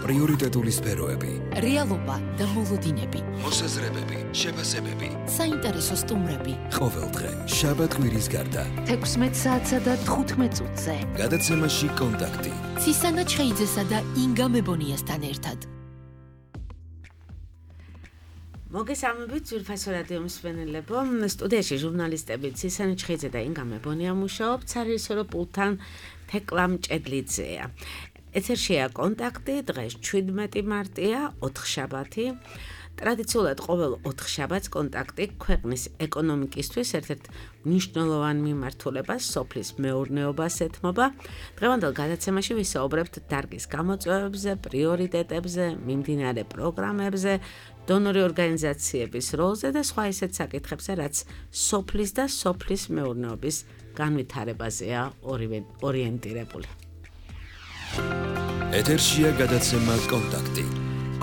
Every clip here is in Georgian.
პრიორიტეტული სფეროები, რეალობა და მოლოდინები, მოსაზრებები, შეფასებები, საინტერესო სტუმრები. ყოველდღე შაბათ-კვირის გარდა 16 საათსა და 15 წუთზე. გადაცემაში კონტაქტი. ცისანა ჩხეიძესა და ინგა მებონიასთან ერთად. მოგესალმებით ძვირფასო რადიო მსმენელებო, სტუდიაში ჟურნალისტები ცისანა ჩხეიძე და ინგა მებონია მუშაობთ, სარეჟისორო პულტთან თეკლა მჭედლიძეა. ეთერშია კონტაქტი, დღეს 17 მარტია, ოთხშაბათი. ტრადიციულად ყოველ ოთხშაბათს კონტაქტი ქვეყნის ეკონომიკისთვის ერთ-ერთ მნიშვნელოვან მიმართულებას, სოფლის მეურნეობას ეთმობა. დღევანდელ გადაცემაში ვისაუბრებთ დარგის გამოწვევებზე, პრიორიტეტებზე, მიმდინარე პროგრამებზე, დონორი ორგანიზაციების როლზე და სხვა ისეთ საკითხებზე, რაც სოფლის და სოფლის მეურნეობის განვითარებაზეა ორიენტირებული. ეთერშია გადაცემა კონტაქტი.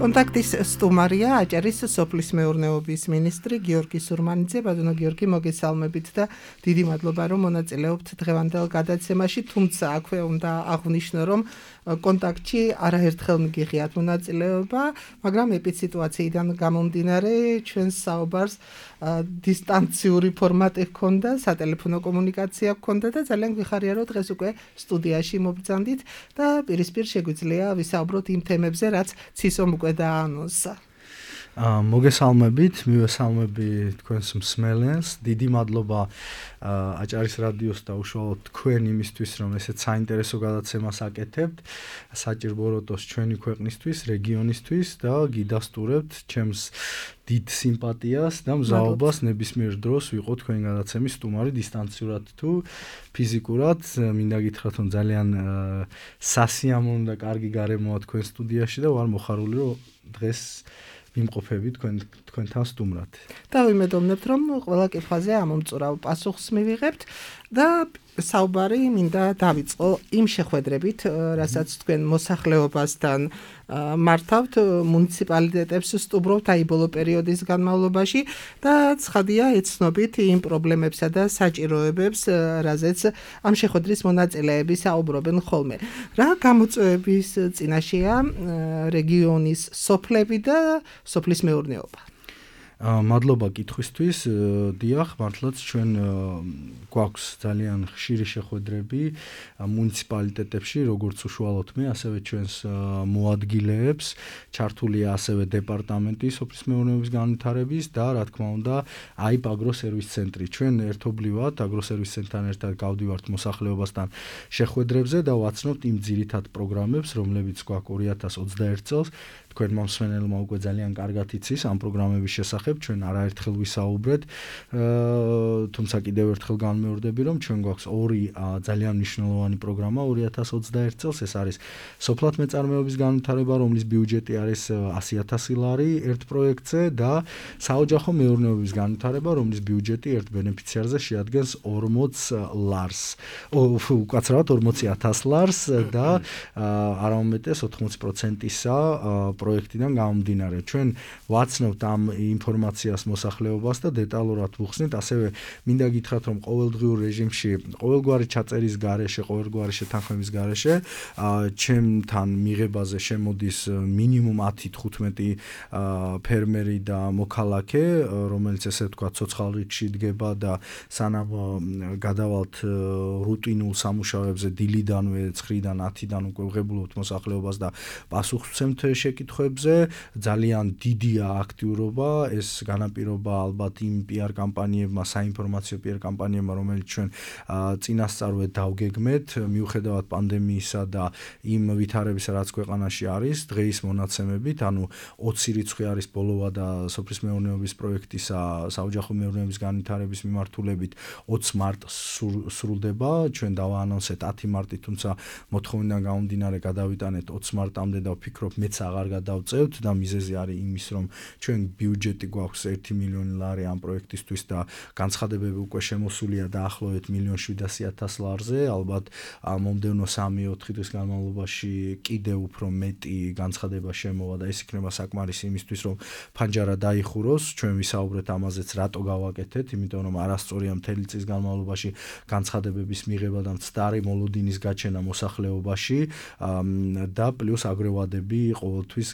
კონტაქტის სტუმარია აჭარის სოფლის მეურნეობის მინისტრი გიორგი სურმანიძე. ბატონო გიორგი, მოგესალმებით და დიდი მადლობა, რომ მონაწილეობთ დღევანდელ გადაცემაში, თუმცა აქვე უნდა აღვნიშნო, რომ კონტაქტში არაერთხელ მიგიღიათ მონაწილეობა, მაგრამ ეპიდსიტუაციიდან გამომდინარე ჩვენს საუბარს დისტანციური ფორმატი ჰქონდა, სატელეფონო კომუნიკაცია ჰქონდა და ძალიან გვიხარია, რომ დღეს უკვე სტუდიაში მობრძანდით და პირისპირ შეგვიძლია ვისაუბროთ იმ თემებზე, რაც ცისომ უკვე დაანონსა. მოგესალმებით, მივესალმები თქვენს მსმენელს. დიდი მადლობა აჭარის რადიოს და უშუალოდ თქვენ იმისთვის, რომ ესეთ საინტერესო გადაცემას აკეთებთ. საჭიროებდოს ჩვენი ქვეყნისთვის, რეგიონისთვის და გიდასტურებთ ჩემს დიდ სიმპათიას და მზაობას ნებისმიერ დროს ვიყო თქვენი გადაცემის სტუმარი დისტანციურად თუ ფიზიკურად. მინდა გითხრათ, რომ ძალიან სასიამოვნო და კარგი გარემოა თქვენ სტუდიაში და ვარ მოხარული, რომ დღეს ვიმყოფებით თქვენთან სტუმრად. და ვიმედოვნებთ, რომ ყველა კითხვაზე ამომწურავ პასუხს მივიღებთ და საუბარი მინდა დავიწყო იმ შეხვედრებით, რასაც თქვენ მოსახლეობასთან მართავთ, მუნიციპალიტეტებს სტუმრობთ აი ბოლო პერიოდის განმავლობაში და ცხადია ეცნობით იმ პრობლემებსა და საჭიროებებს, რაზეც ამ შეხვედრის მონაწილეები საუბრობენ ხოლმე. რა გამოწვევების წინაშეა რეგიონის სოფლები და სოფლის მეურნეობა? მადლობა კითხვისთვის. დიახ, მართლაც ჩვენ გვაქვს ძალიან ხშირი შეხვედრები მუნიციპალიტეტებში, როგორც უშუალოდ მე, ასევე ჩვენს მოადგილეებს. ჩართულია ასევე დეპარტამენტი სოფლის მეურნეობის განვითარების და რა თქმა უნდა, აიპ აგროსერვის ცენტრი. ჩვენ ერთობლივად აგროსერვის ცენტრთან ერთად გავდივართ მოსახლეობასთან შეხვედრებზე და ვაცნობთ იმ ძირითად პროგრამებს, რომლებიც გვაქვს 2021 წელს. თქვენ მომსმენელმა უკვე ძალიან კარგად იცის ამ პროგრამების შესახებ, ჩვენ არაერთხელ ვისაუბრეთ, თუმცა კიდევ ერთხელ განმეორდები, რომ ჩვენ გვაქვს ორი ძალიან მნიშვნელოვანი პროგრამა 2021 წელს, ეს არის სოფლად მეწარმეობის განვითარება, რომლის ბიუჯეტი არის 100,000 ლარი ერთ პროექტზე და საოჯახო მეურნეობის განვითარება, რომლის ბიუჯეტი ერთ ბენეფიციარზე შეადგენს 40 ლარს. უკაცრავად 40,000 ლარს და არა უმეტეს 80%-ისა პროექტიდან გამომდინარე. ჩვენ ვაცნობთ ამ ინფორმაციას მოსახლეობას და დეტალურად ვუხსნით. ასევე მინდა გითხრათ, რომ ყოველდღიურ რეჟიმში, ყოველგვარი ჩაწერის გარეშე, ყოველგვარი შეთანხმების გარეშე, ჩემთან მიღებაზე შემოდის მინიმუმ 10-15 ფერმერი და მოქალაქე, რომელიც ესე ვთქვათ, ცოცხალ რიგში დგება და სანამ გადავალთ რუტინულ სამუშაოებზე დილიდანვე 9-დან 10-დან უკვე ვღებულობთ მოსახლეობას და პასუხს ვცემთ შეკითხვებზე. ძალიან დიდია აქტიურობა, ეს განაპირობა ალბათ იმ PR კამპანიებმა, საინფორმაციო PR კამპანიებმა, რომელიც ჩვენ წინასწარვე დავგეგმეთ, მიუხედავად პანდემიისა და იმ ვითარებისა, რაც ქვეყანაში არის, დღეის მონაცემებით, ანუ 20 რიცხვი არის ბოლოვა და სოფლის მეურნეობის პროექტისა საოჯახო მეურნეობის განვითარების მიმართულებით 20 მარტს სრულდება. ჩვენ დავაანონსეთ 10 მარტი, თუმცა მოთხოვნიდან გამომდინარე გადავიტანეთ 20 მარტამდე და ვფიქრობ მეც აღარ გადავწევთ და მიზეზი არის იმის, რომ ჩვენ ბიუჯეტი გვაქვს 1 მილიონი ლარი ამ პროექტისთვის და განცხადებები უკვე შემოსულია დაახლოებით 1,700,000 ლარზე. ალბათ მომდევნო 3-4 დღის განმავლობაში კიდევ უფრო მეტი განცხადება შემოვა და ეს იქნება საკმარისი იმისთვის, რომ ფანჯარა დაიხუროს. ჩვენ ვისაუბრეთ ამაზეც, რატო გავაკეთეთ, იმიტომ რომ არასწორია მთელი წლის განმავლობაში განცხადებების მიღება და მცდარი მოლოდინის გაჩენა მოსახლეობაში და პლუს აგროვადები ყოველთვის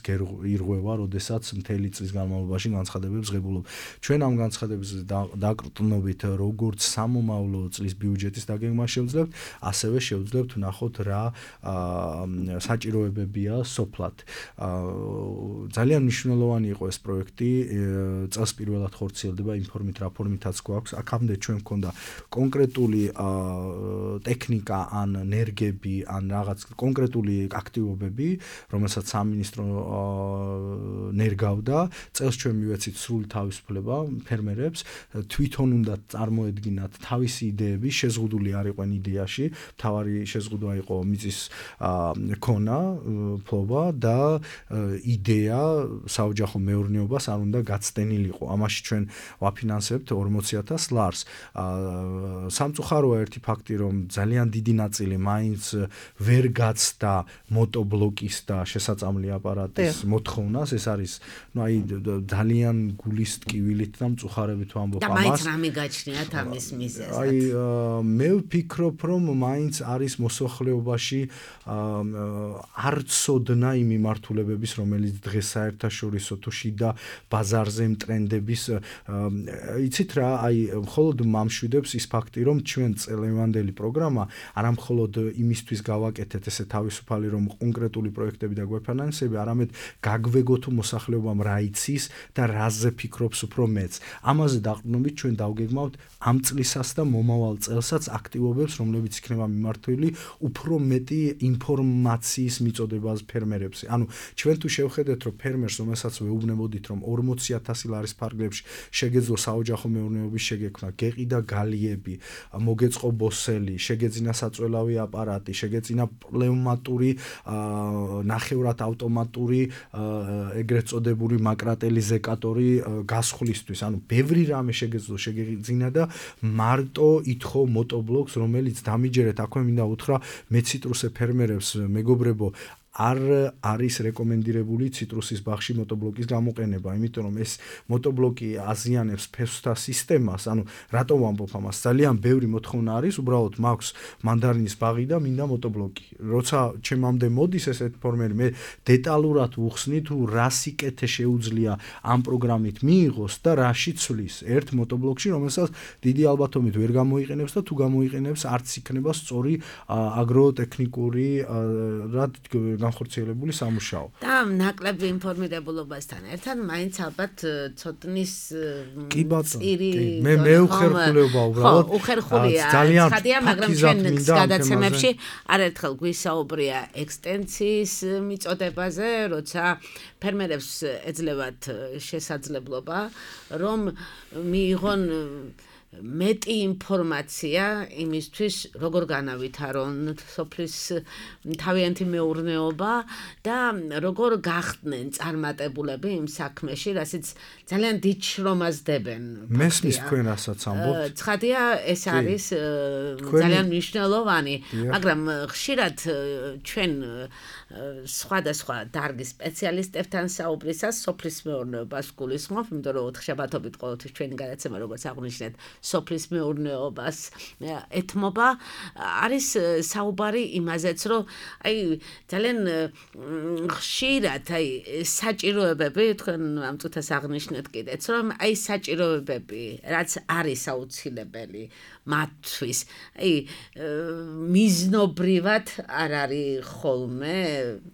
ირღვევა, როდესაც მთელი წლის განმავლობაში განცხადებებს ღებულობ. ჩვენ ამ განცხადების დაკრტნობით როგორც სამომავლო წლის ბიუჯეტის დაგეგმა შევძლებთ, ასევე შევძლებთ ვნახოთ რა საჭიროებებია სოფლად. ძალიან მნიშვნელოვანი იყო ეს პროექტი, წელს პირველად ხორციელდება იმ ფორმით, რა ფორმითაც გვაქვს. აქამდე ჩვენ მქონდა კონკრეტული ტექნიკა ან ნერგები, ან რაღაც კონკრეტული აქტივობები, რომელსაც სამინისტრო ნერგავდა. წელს ჩვენ მივეცით სრული თავისუფლება ფერმერებს, თვითონ უნდა წარმოედგინათ თავისი იდეები, შეზღუდული არ იყვენ იდეაში, მთავარი შეზღუდვა იყო მიწის ქონა, ფლობა და იდეა საოჯახო მეურნეობას არ უნდა გაცდენილიყო. ამაში ჩვენ ვაფინანსებთ 40,000 ლარს. სამწუხაროა ერთი ფაქტი, რომ ძალიან დიდი ნაწილი მაინც ვერ გაცდა მოტობლოკის და შესაწამლი აპარატის მოთხოვნას. ეს არის ძალიან გულის ტკივილით და მწუხარებით ვამბობ ამას. და მაინც რამე გაჩნიათ ამის მიზეზად? მე ვფიქრობ, რომ მაინც არის მოსახლეობაში არ ცოდნა იმ მიმართულებების, რომელიც დღეს საერთაშორისო თუ შიდა ბაზარზე ტრენდების, იცით რა, მხოლოდ მამშვიდებს ის ფაქტი, რომ ჩვენ წელევანდელი პროგრამა არა მხოლოდ იმისთვის გავაკეთეთ ესე თავისუფალი, რომ კონკრეტული პროექტები და გვეფინანსები, არამედ გაგვეგო თუ მოსახლეობამ რა იცის და რაზე ფიქრობს უფრო მეც. ამაზე დაყრდნობით ჩვენ დავგეგმავთ ამ წლისას და მომავალ წელსაც აქტივობებს, რომლებიც იქნება მიმართული უფრო მეტი ინფორმაციის მიწოდებას ფერმერებს. ანუ ჩვენ თუ შევხედეთ, რომ ფერმერს, რომელსაც ვეუბნებოდით, რომ 40,000 ლარის ფარგლებში შეგეძლო საოჯახო მეურნეობის შეგექმნა, გეყიდა გალიები, მოგეწყო ბოსელი, შეგეძინა საწველავი აპარატი, შეგეძინა პნევმატური ნახევრად ავტომატური ეგრეთ წოდებული მაკრატელი ზეკატორი გასხვლისთვის. ანუ ბევრი რამე შეგეძინა და მარტო ითხოვ მოტობლოკს, რომელიც დამიჯერეთ, აქვე მინდა უთხრა მე ციტრუსე ფერმერებს, მეგობრებო, არ არის რეკომენდირებული ციტრუსის ბაღში მოტობლოკის გამოყენება, იმიტომ რომ ეს მოტობლოკი აზიანებს ფესვთა სისტემას. ანუ რატო ვამბობ ამას? ძალიან ბევრი მოთხოვნა არის, უბრალოდ მაქვს მანდარინის ბაღი და მინდა მოტობლოკი. როცა ჩემამდე მოდის ესეთ ფორმერი, მე დეტალურად ვუხსნი თუ რა სიკეთე შეუძლია ამ პროგრამით მიიღოს და რა შეცვლის ერთ მოტობლოკში, რომელსაც დიდი ალბათობით ვერ გამოიყენებს და თუ გამოიყენებს, არც იქნება სწორი აგროტექნიკური განხორციელებული სამუშაო. და ნაკლები ინფორმირებულობასთან ერთად მაინც ალბათ ცოდნის წირი მე უხერხულება უბრალოდ უხერხულია ცხადია, მაგრამ ჩვენ გადაცემებში არაერთხელ გვისაუბრია ექსტენციის მიწოდებაზე, როცა ფერმერებს ეძლევათ შესაძლებლობა, რომ მიიღონ მეტი ინფორმაცია იმისთვის, როგორ განავითარონ სოფლის თავიანთი მეურნეობა და როგორ გახდნენ წარმატებულები იმ საქმეში, რასაც ძალიან დიდ შრომას დებენ. მესმის თქვენ რასაც ამბობთ. ცხადია, ეს არის ძალიან მნიშვნელოვანი, მაგრამ ხშირად ჩვენ სხვადასხვა დარგის სპეციალისტებთან საუბრისას სოფლის მეურნეობას გულისხმობ, იმიტომ რომ ოთხშაბათობით ყოველთვის ჩვენი გადაცემა, როგორც აღნიშნეთ, სოფლის მეურნეობას ეთმობა. არის საუბარი იმაზეც, რომ ძალიან ხშირად საჭიროებები, თქვენ ამ წუთას აღნიშნეთ კიდეც, რომ საჭიროებები, რაც არის აუცილებელი მათთვის, მიზნობრივად არ არის ხოლმე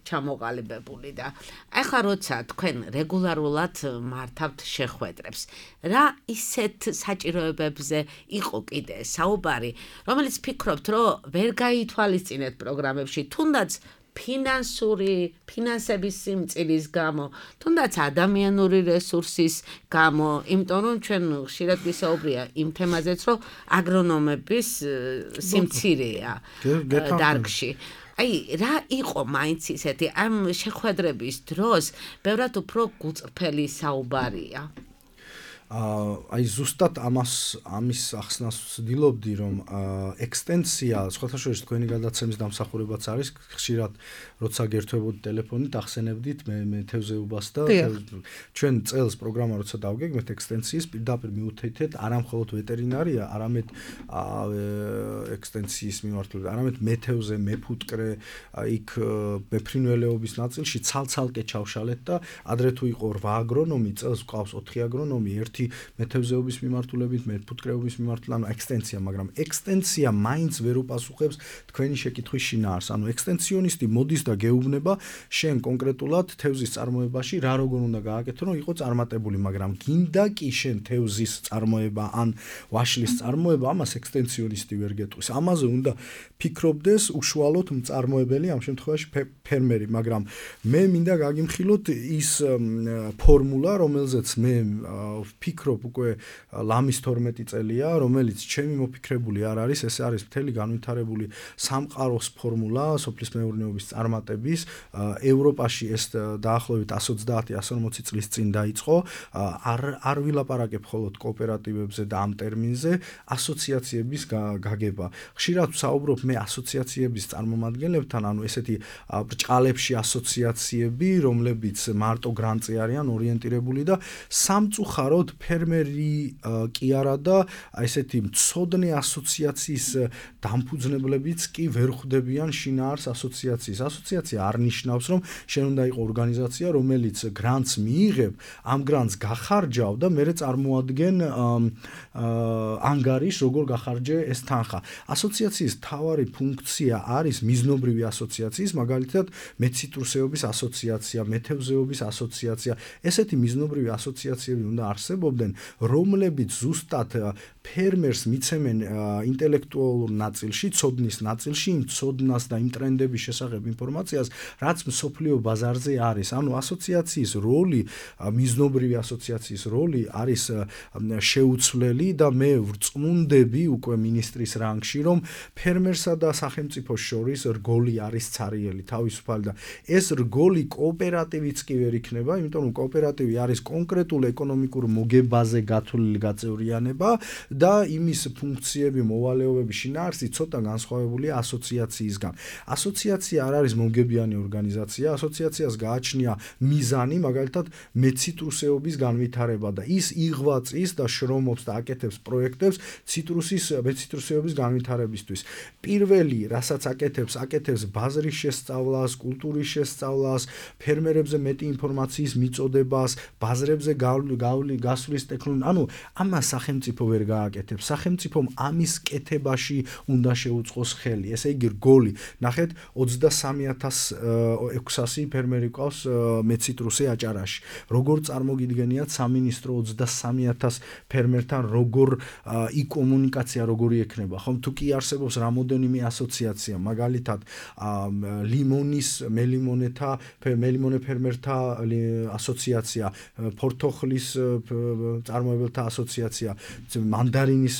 ჩამოყალიბებული და ახლა როცა თქვენ რეგულარულად მართავთ შეხვედრებს, რა ისეთ საჭიროებებზე იყო კიდე საუბარი, რომელიც ფიქრობთ, რომ ვერ გაითვალისწინეთ პროგრამებში, თუნდაც ფინანსების სიმწირის გამო, თუნდაც ადამიანური რესურსის გამო, იმიტომ რომ ჩვენ ხშირად ვისაუბრია იმ თემაზეც, რომ აგრონომების სიმცირეა დარგში. რა იყო მაინც ისეთი ამ შეხვედრების დროს ბევრად უფრო გულწრფელი საუბარია? აი ზუსტად ამის ახსნას ვცდილობდი, რომ ექსტენსია, სხვათა შორის თქვენი გადაცემის დამსახურებაც არის, ხშირად როცა გერთვებოდი ტელეფონით, ახსენებდით მე თევზეობას და ჩვენ წელს პროგრამა როცა დავგეგმეთ ექსტენსიის, პირდაპირ მიუთითეთ არა მხოლოდ ვეტერინარია, არამედ ექსტენსიის მიმართულებით, არამედ მეთევზე, მეფუტკრე, იქ მეფრინველეობის ნაწილში ცალ-ცალკე ჩავშალეთ და ადრე თუ იყო 8 აგრონომი, წელს გვყავს 4 აგრონომი, ერთი მეთევზეობის მიმართულებით, მეფუტკრეობის მიმართულებით, ანუ ექსტენსია, მაგრამ ექსტენსია მაინც ვერ უპასუხებს თქვენი შეკითხვის შინაარსს. ანუ ექსტენსიონისტი მოდის და გეუბნება შენ კონკრეტულად თევზის წარმოებაში რა როგორ უნდა გააკეთო, რომ იყო წარმატებული, მაგრამ გინდა კი შენ თევზის წარმოება ან ვაშლის წარმოება, ამას ექსტენსიონისტი ვერ გეტყვის. ამაზე უნდა ფიქრობდეს უშუალოდ მწარმოებელი, ამ შემთხვევაში ფერმერი, მაგრამ მე მინდა გაგიმხილოთ ის ფორმულა, რომელზეც მე ვფიქრობ უკვე ლამის 12 წელია, რომელიც ჩემი მოფიქრებული არ არის, ეს არის მთელი განვითარებული სამყაროს ფორმულა სოფლის მეურნეობის წარმატების. ევროპაში ეს დაახლოებით 130-140 წლის წინ დაიწყო. არ ვილაპარაკებ მხოლოდ კოოპერატივებზე და ამ ტერმინზე, ასოციაციების გაგება. ხშირად ვსაუბრობ მე ასოციაციების წარმომადგენლებთან, ანუ ესეთი ბრჭყალებში ასოციაციები, რომლებიც მარტო გრანტზე არიან ორიენტირებული და სამწუხაროდ ფერმერი კი არა და ესეთი მცოდნე ასოციაციის დამფუძნებლებიც კი ვერ ხვდებიან შინაარს ასოციაციის. ასოციაცია არ ნიშნავს, რომ შენ უნდა იყო ორგანიზაცია, რომელიც გრანტს მიიღებ, ამ გრანტს გახარჯავ და მერე წარმოადგენ ანგარიშს, როგორ გახარჯე ეს თანხა. ასოციაციის მთავარი ფუნქცია არის მიზნობრივი ასოციაციის, მაგალითად მეციტრუსეობის ასოციაცია, მეთევზეობის ასოციაცია. ესეთი მიზნობრივი ასოციაციები უნდა არსებობდნენ, რომლებიც ზუსტად ფერმერს მიცემენ ინტელექტუალურ ნაწილში, ცოდნის ნაწილში, იმ ცოდნას და იმ ტრენდების შესახებ ინფორმაციას, რაც მსოფლიო ბაზარზე არის. ანუ ასოციაციის როლი, მიზნობრივი ასოციაციის როლი არის შეუცვლელი და მე ვწმუნდები უკვე მინისტრის რანგში, რომ ფერმერსა და სახელმწიფოს შორის რგოლი არის ცარიელი, თავისუფალი და ეს რგოლი კოოპერატივიც კი ვერ იქნება, იმიტომ რომ კოოპერატივი არის კონკრეტულ ეკონომიკურ მოგებაზე გათვლილი გაწევრიანება და იმის ფუნქციები, მოვალეობები, შინაარსი ცოტა განსხვავებულია ასოციაციისგან. ასოციაცია არ არის მომგებიანი ორგანიზაცია, ასოციაციას გააჩნია მიზანი, მაგალითად მეციტრუსეობის განვითარება და ის იღვაწის და შრომობს და აკეთებს პროექტებს მეციტრუსეობის განვითარებისთვის. პირველი, რასაც აკეთებს ბაზრის შესწავლას, კულტურის შესწავლას, ფერმერებზე მეტი ინფორმაციის მიწოდებას, ბაზრებზე გასვლის ტექნოლოგია. ანუ ამას სახელმწიფო ვერ გააკეთებს. სახელმწიფომ ამის კეთებაში უნდა შეუწყოს ხელი. ესე იგი რგოლი. ნახეთ, 23,600 ფერმერი ყავს მეციტრუსე აჭარაში. როგორ წარმოგიდგენიათ სამინისტრო 23,000 ფერმერთან როგორ იკომუნიკაცია როგორი ექნება, ხომ? თუ კი არსებობს რამოდენიმე ასოციაცია, მაგალითად მელიმონე ფერმერთა ასოციაცია, ფორთოხლის წარმოებელთა ასოციაცია, მანდარინის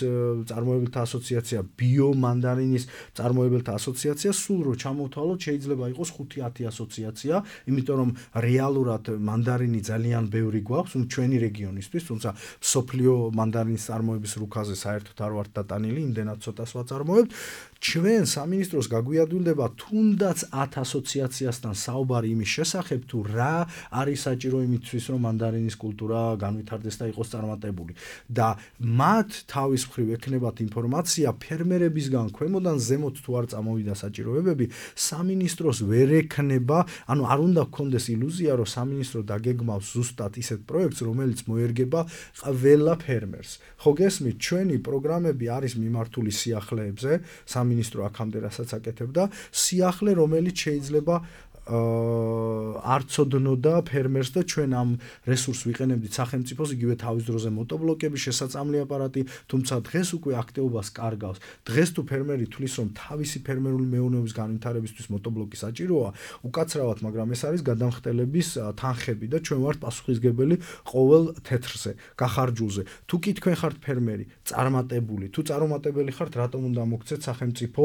წარმოებელთა ასოციაცია, ბიომანდარინის წარმოებელთა ასოციაცია, სულ რო ჩამოვთვალოთ, შეიძლება იყოს 5-10 ასოციაცია, იმიტომ რომ რეალურად მანდარინი ძალიან ბევრი გვაქვს, ჩვენი რეგიონისთვის, თუმცა მსოფლიო მანდარინის წარმოების რუკაზე საერთოდ არ ვართ დატანილი, იმდენად ცოტას ვაწარმოებთ. ჩვენ სამინისტროს გაგვიადვილდება თუნდაც 10 ასოციაციასთან საუბარი იმის შესახებ, თუ რა არის საჭირო იმისთვის, რომ მანდარინის კულტურა განვითარდეს და იყოს წარმატებული. და მათ თავის მხრივ ექნებათ ინფორმაცია ფერმერებისგან ქვემოდან ზემოთ თუ არ წამოვიდა საჭიროებები, სამინისტროს ვერ ექნება, ანუ არ უნდა გქონდეს ილუზია, რომ სამინისტრო დაგეგმავს ზუსტად ისეთ პროექტს, რომელიც მოერგება ყველა ფერმერს. ხო გესმით, ჩვენი პროგრამები არის მიმართული სიახლეებზე, სამინისტრო აქამდე რასაც აკეთებდა, სიახლე, რომელიც შეიძლება არ ცოდნოდა ფერმერს და ჩვენ ამ რესურსს ვიყენებდით სახელმწიფოს, იგივე თავის დროზე მოტობლოკები, შესაწამლი აპარატი, თუმცა დღეს უკვე აქტივობას კარგავს. დღეს თუ ფერმერი თვლის, რომ თავისი ფერმერული მეურნეობის განვითარებისთვის მოტობლოკი საჭიროა, უკაცრავად, მაგრამ ეს არის გადამხდელების თანხები და ჩვენ ვართ პასუხისმგებელი ყოველ თეთრზე, გახარჯულზე. თუ კი თქვენ ხართ ფერმერი, წარმატებული, თუ წარუმატებელი ხართ, რატომ უნდა მოგცეთ სახელმწიფო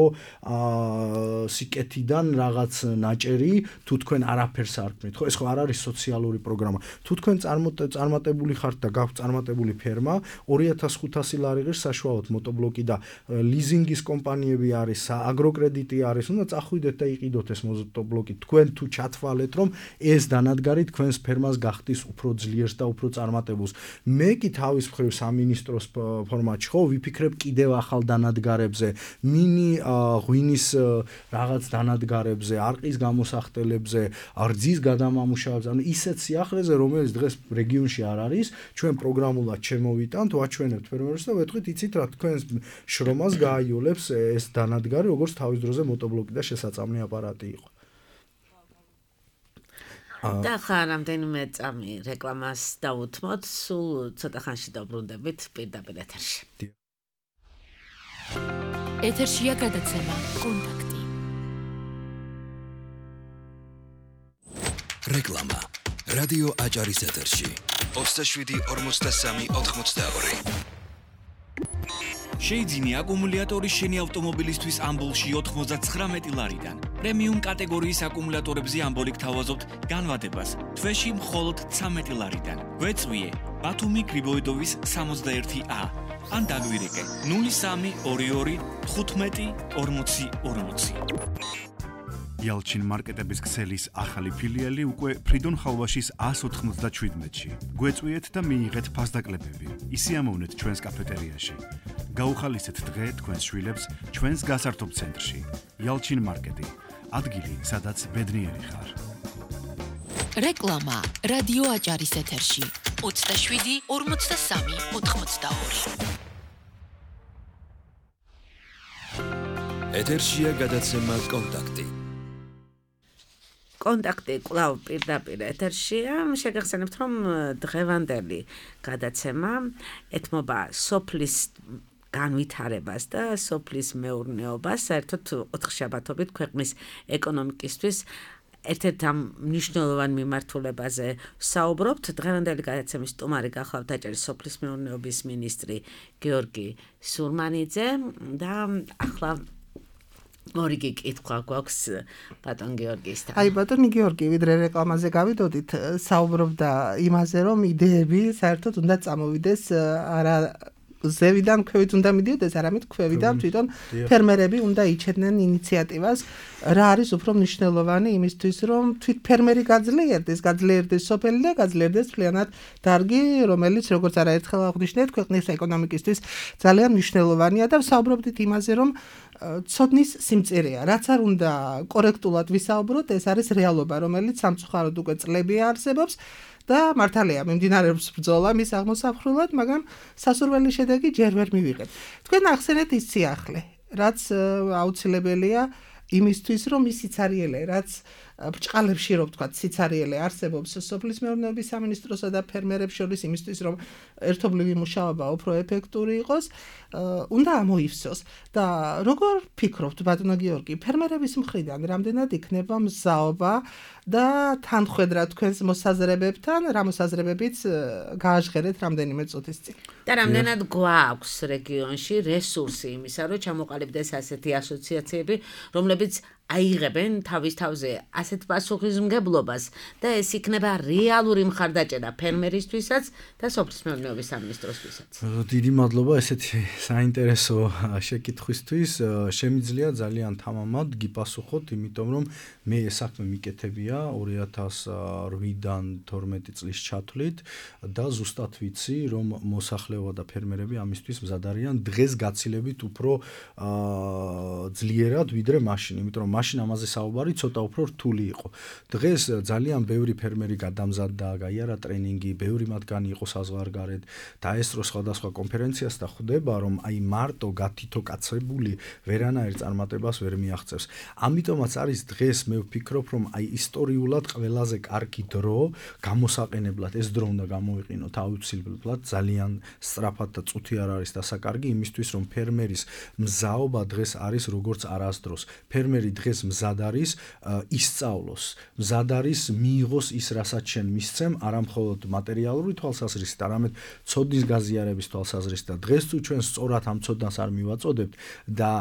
სიკეთიდან რაღაც ნაჭერი, თუ თქვენ არაფერს არ სარკმლით. ხო, ეს ხო არ არის სოციალური პროგრამა. თუ თქვენ წარმატებული ხართ და გაქვთ წარმატებული ფერმა, 2500 ლარი ღირს საშუალოდ მოტობლოკი და ლიზინგის კომპანიები არის, აგროკრედიტი არის, უნდა წახვიდეთ და იყიდოთ ეს მოტობლოკი. თქვენ თუ ჩათვალეთ, რომ ეს დანადგარი თქვენს ფერმას გახდის უფრო ძლიერს და უფრო წარმატებულს. მე კი თავის მხრივ სამინისტროს ფორმატში ხო ვიფიქრებ კიდევ ახალ დანადგარებზე, მინი ღვინის რაღაც დანადგარებზე, არყის გამოსახდელებზე, რძის გადამამუშავებზე, ანუ ისეთ სიახლეზე, რომელიც დღეს რეგიონში არ არის, ჩვენ პროგრამულად შემოვიტანთ, ვაჩვენებთ ფერმერებს და ვეთქვით, იცით რა, თქვენს შრომას გააიოლებს ეს დანადგარი, როგორც თავის დროზე მოტობლოკი და შესაწამლი აპარატი იყო. და ხა რამდენიმე წამი რეკლამას დავუთმოთ, სულ ცოტა ხანში დავბრუნდებით პირდაპირ ეთერში. ეთერშია გადაცემა კონტაქტი. რეკლამა. რადიო აჭარის ეთერში. 27-43-82. შეიძინე აკუმულატორი შენი ავტომობილისთვის ამბოლში 99 ლარიდან. პრემიუმ კატეგორიის აკუმულატორებზე ამბოლი გთავაზობთ განვადებას თვეში მხოლოდ 13 ლარიდან. გვეწვიე ბათუმი გრიბოიდოვის 61A ან დაგვირეკე 0322 15 40 40. Yalchin მარკეტების ქსელის ახალი ფილიალი უკვე ფრიდონ ხალვაშის 197-ში. გვეწვიეთ და მიიღეთ ფასდაკლებები. ისიამოვნეთ ჩვენს კაფეტერიაში. გაუხალისეთ დღე თქვენს შვილებს ჩვენს გასართობ ცენტრში. Yalchin მარკეტი. ადგილი, სადაც ბედნიერი ხარ. რეკლამა რადიო აჭარის ეთერში 27 43 82. ეთერშია გადაცემა კონტაქტი. კონტაქტი კვლავ პირდაპირ ეთერშია. შეგახსენებთ, რომ დღევანდელი გადაცემა ეთმობა სოფლის განვითარებას და სოფლის მეურნეობას, საერთოდ 4 შაბათობით ქვეყნის ეკონომიკისთვის ერთ-ერთ ამ მნიშვნელოვან მიმართულებაზე საუბრობთ. დღევანდელი გადაცემის სტუმარი გახლავთ აჭარის სოფლის მეურნეობის მინისტრი გიორგი სურმანიძე და ახლა ორიგი კითხვა გვაქვს ბატონ გიორგისთან. აი ბატონი გიორგი, ვიდრე რეკლამაზე გავიდოდით, საუბრობდა იმაზე, რომ იდეები საერთოდ უნდა წამოვიდეს არა ზევიდან ქვევით უნდა მიდიოდეს, არამედ ქვევიდან თვითონ ფერმერები უნდა იჩედნენ ინიციატივას, რა არის უფრო მნიშვნელოვანი იმისთვის, რომ თვით ფერმერი გაძლიერდეს სოფელი და გაძლიერდეს მთლიანად დარგი, რომელიც როგორც არაერთხელ აღვნიშნეთ, ქვეყნის ეკონომიკისთვის ძალიან მნიშვნელოვანია და ვსაუბრობდით იმაზე, რომ ცოდნის სიმწირეა, რაც არ უნდა კორექტულად ვისაუბროთ, ეს არის რეალობა, რომელიც სამწუხაროდ უკვე წლები არსებობს. და მართალია მიმდინარეობს ბრძოლა მის აღმოსახრულად, მაგრამ სასურველი შედეგი ჯერ ვერ მივიღეთ. თქვენ ახსენეთ ის სიახლე, რაც აუცილებელია იმისთვის, რომ ის სიცარიელე, რაც ბრჭყალებში რომ ვთქვათ, სიცარიელე არსებობს სოფლის მეურნეობის სამინისტროსა და ფერმერებს შორის იმისთვის, რომ ერთობლივი მუშაობა უფრო ეფექტური იყოს, უნდა ამოივსოს. და როგორ ფიქრობთ, ბატონო გიორგი, ფერმერების მხრიდან რამდენად იქნება მზაობა და თანხwebdriver თქვენს მოსაზრებებთან, რა მოსაზრებებიც გააჟღერეთ რამდენიმე წუთის წინ. და რამდენად გვაქვს რეგიონში რესურსი იმისა, რომ ჩამოყალიბდეს ასეთი ასოციაციები, რომლებიც აიღებენ თავის თავზე ასეთ პასუხისმგებლობას და ეს იქნება რეალური მხარდაჭერა ფერმერისთვისაც და სოფლის მეურნეობის სამინისტროსთვისაც. დიდი მადლობა ესეთი საინტერესო შეკითხვისთვის. შემიძლია ძალიან თამამად გიპასუხოთ, იმიტომ რომ მე ეს საქმე მიკეთებია 2008-დან 12 წლის ჩათვლით და ზუსტად ვიცი, რომ მოსახლეობა და ფერმერები ამისთვის მზად არიან დღეს გაცილებით უფრო ძლიერად ვიდრე მაშინ, იმიტომ რომ მაშინ ამაზე საუბარი ცოტა უფრო რთული იყო. დღეს ძალიან ბევრი ფერმერი გადამზადდა, გაიარა ტრენინგი, ბევრი მათგანი იყო საზღვარგარეთ, დაესწრო სხვადასხვა კონფერენციას და ხვდება, რომ აი მარტო გათითოკაცებული ვერანაირ წარმატებას ვერ მიაღწევს. ამიტომაც არის დღეს მე ვფიქრობ, რომ აი ისტორიულად ყველაზე კარგი დრო გამოსაყენებლად ეს დრო უნდა გამოვიყინოთ აუცილებლად, ძალიან სწრაფად და წუთი არ არის დასაკარგი იმისთვის, რომ ფერმერის მზაობა დღეს არის როგორც არასდროს. ფერმერი დღეს დღეს მზად არის ისწავლოს, მზად არის მიიღოს ის, რასაც შენ მისცემ, არა მხოლოდ მატერიალური თვალსაზრისით, არამედ ცოდნის გაზიარების თვალსაზრისით და დღეს თუ ჩვენ სწორად ამ ცოდნას არ მივაწოდებთ და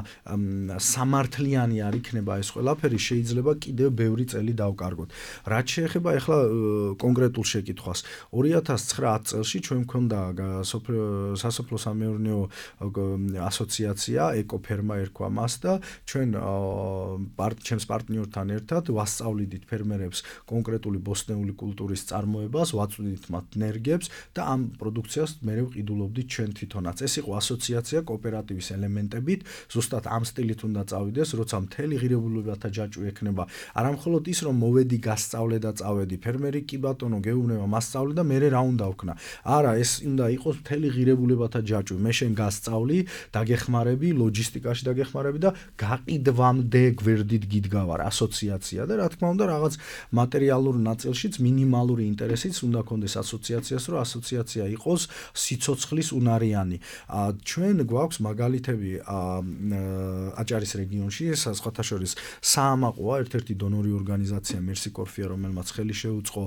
სამართლიანი არ იქნება ეს ყველაფერი, შეიძლება კიდევ ბევრი წელი დავკარგოთ. რაც შეეხება ახლა კონკრეტულ შეკითხვას, 2009 წელში ჩვენ მქონდა სასოფლო-სამეურნეო ასოციაცია, ეკოფერმა ერქვა მას და ჩვენ ჩემს პარტნიორთან ერთად ვასწავლიდით ფერმერებს კონკრეტული ბოსტნეული კულტურის წარმოებას, ვაწვდით მათ ნერგებს და ამ პროდუქციას მერე ვყიდულობდით ჩვენ თვითონაც. ეს იყო ასოციაცია კოოპერატივის ელემენტებით, ზუსტად ამ სტილით უნდა წავიდეს, როცა მთელი ღირებულებათა ჯაჭვი ექნება. არა მხოლოდ ის, რომ მოვედი გასწავლე და წავედი, ფერმერი კი ბატონო გეუბნება მასწავლე და მერე რა უნდა ვქნა. არა, ეს უნდა იყოს მთელი ღირებულებათა ჯაჭვი. მე შენ გასწავლი, დაგეხმარები, ლოჯისტიკაში დაგეხმარები და გაყიდვამდე გვერდით გიდგავარ ასოციაცია და რა თქმა უნდა რაღაც მატერიალურ ნაწილშიც მინიმალური ინტერესიც უნდა კონდეს ასოციაციას, რომ ასოციაცია იყოს სიცოცხლის უნარიანი. ჩვენ გვაქვს მაგალითები აჭარის რეგიონში, სხვათა შორის საამაყოა ერთ-ერთი დონორი ორგანიზაცია Mercy Corfia, რომელმაც ხელი შეუწყო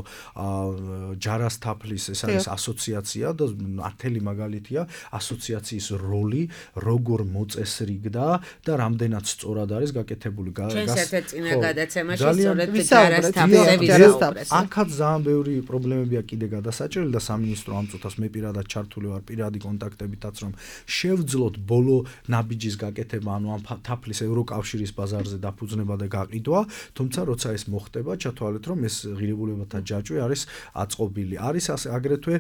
ჯარას თაფლის, ეს არის ასოციაცია და ათელი მაგალითია ასოციაციის როლი, როგორ მოწესრიგდა და რამდენად სწორად არის გაკეთებული. ჩვენს ერთ-ერთ წინა გადაცემაში სწორედ ჯარას თაფლზე ვიზაუბრეთ. აქაც ძალიან ბევრი პრობლემებია კიდე გადასაჭრელი და სამინისტრო ამ წუთას მე პირადად ჩართული ვარ პირადი კონტაქტებითაც, რომ შევძლოთ ბოლო ნაბიჯის გაკეთება, ანუ ამ თაფლის ევროკავშირის ბაზარზე დაფუძნება და გაყიდვა, თუმცა როცა ეს მოხდება, ჩათვალეთ, რომ ეს ღირებულებათა ჯაჭვი არის აწყობილი. არის აგრეთვე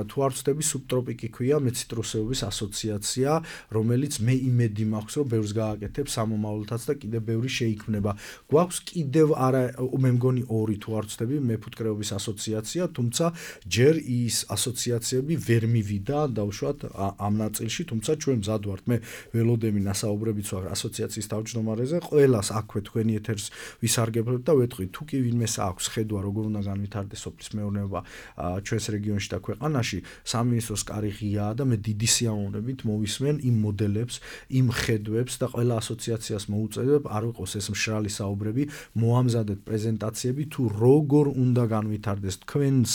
თუ არ ვცდები სუბტროპიკი ქვია მეციტრუსეობის ასოციაცია, რომელიც მე იმედი მაქვს, რომ ბევრს გააკეთებს სამომავლოდაც და კიდევ ბევრი შეიქმნება. გვაქვს კიდევ არა მე მგონი 2 თუ არ ვცდები მეფუტკრეობის ასოციაცია, თუმცა ჯერ ის ასოციაციები ვერ მივიდა დაუშვათ ამ ნაწილში, თუმცა ჩვენ მზად ვართ. მე ველოდები ნასაუბრებიც ვარ ასოციაციის თავმჯდომარეზე, ყველას აქვე თქვენი ეთერს ვისარგებლებ და ვეთქვი, თუ კი ვინმეს აქვს ხედვა, როგორ უნდა განვითარდეს სოფლის მეურნეობა ჩვენს რეგიონში და ქვეყანაში, სამინისტროს კარი ღიაა და მე დიდი სიამოვნებით მოვისმენ იმ მოდელებს, იმ ხედვებს და ყველა ასოციაციას მოუწევებ, არ ვიყოს ეს მშრალი საუბრები, მოამზადეთ პრეზენტაციები თუ როგორ უნდა განვითარდეს თქვენს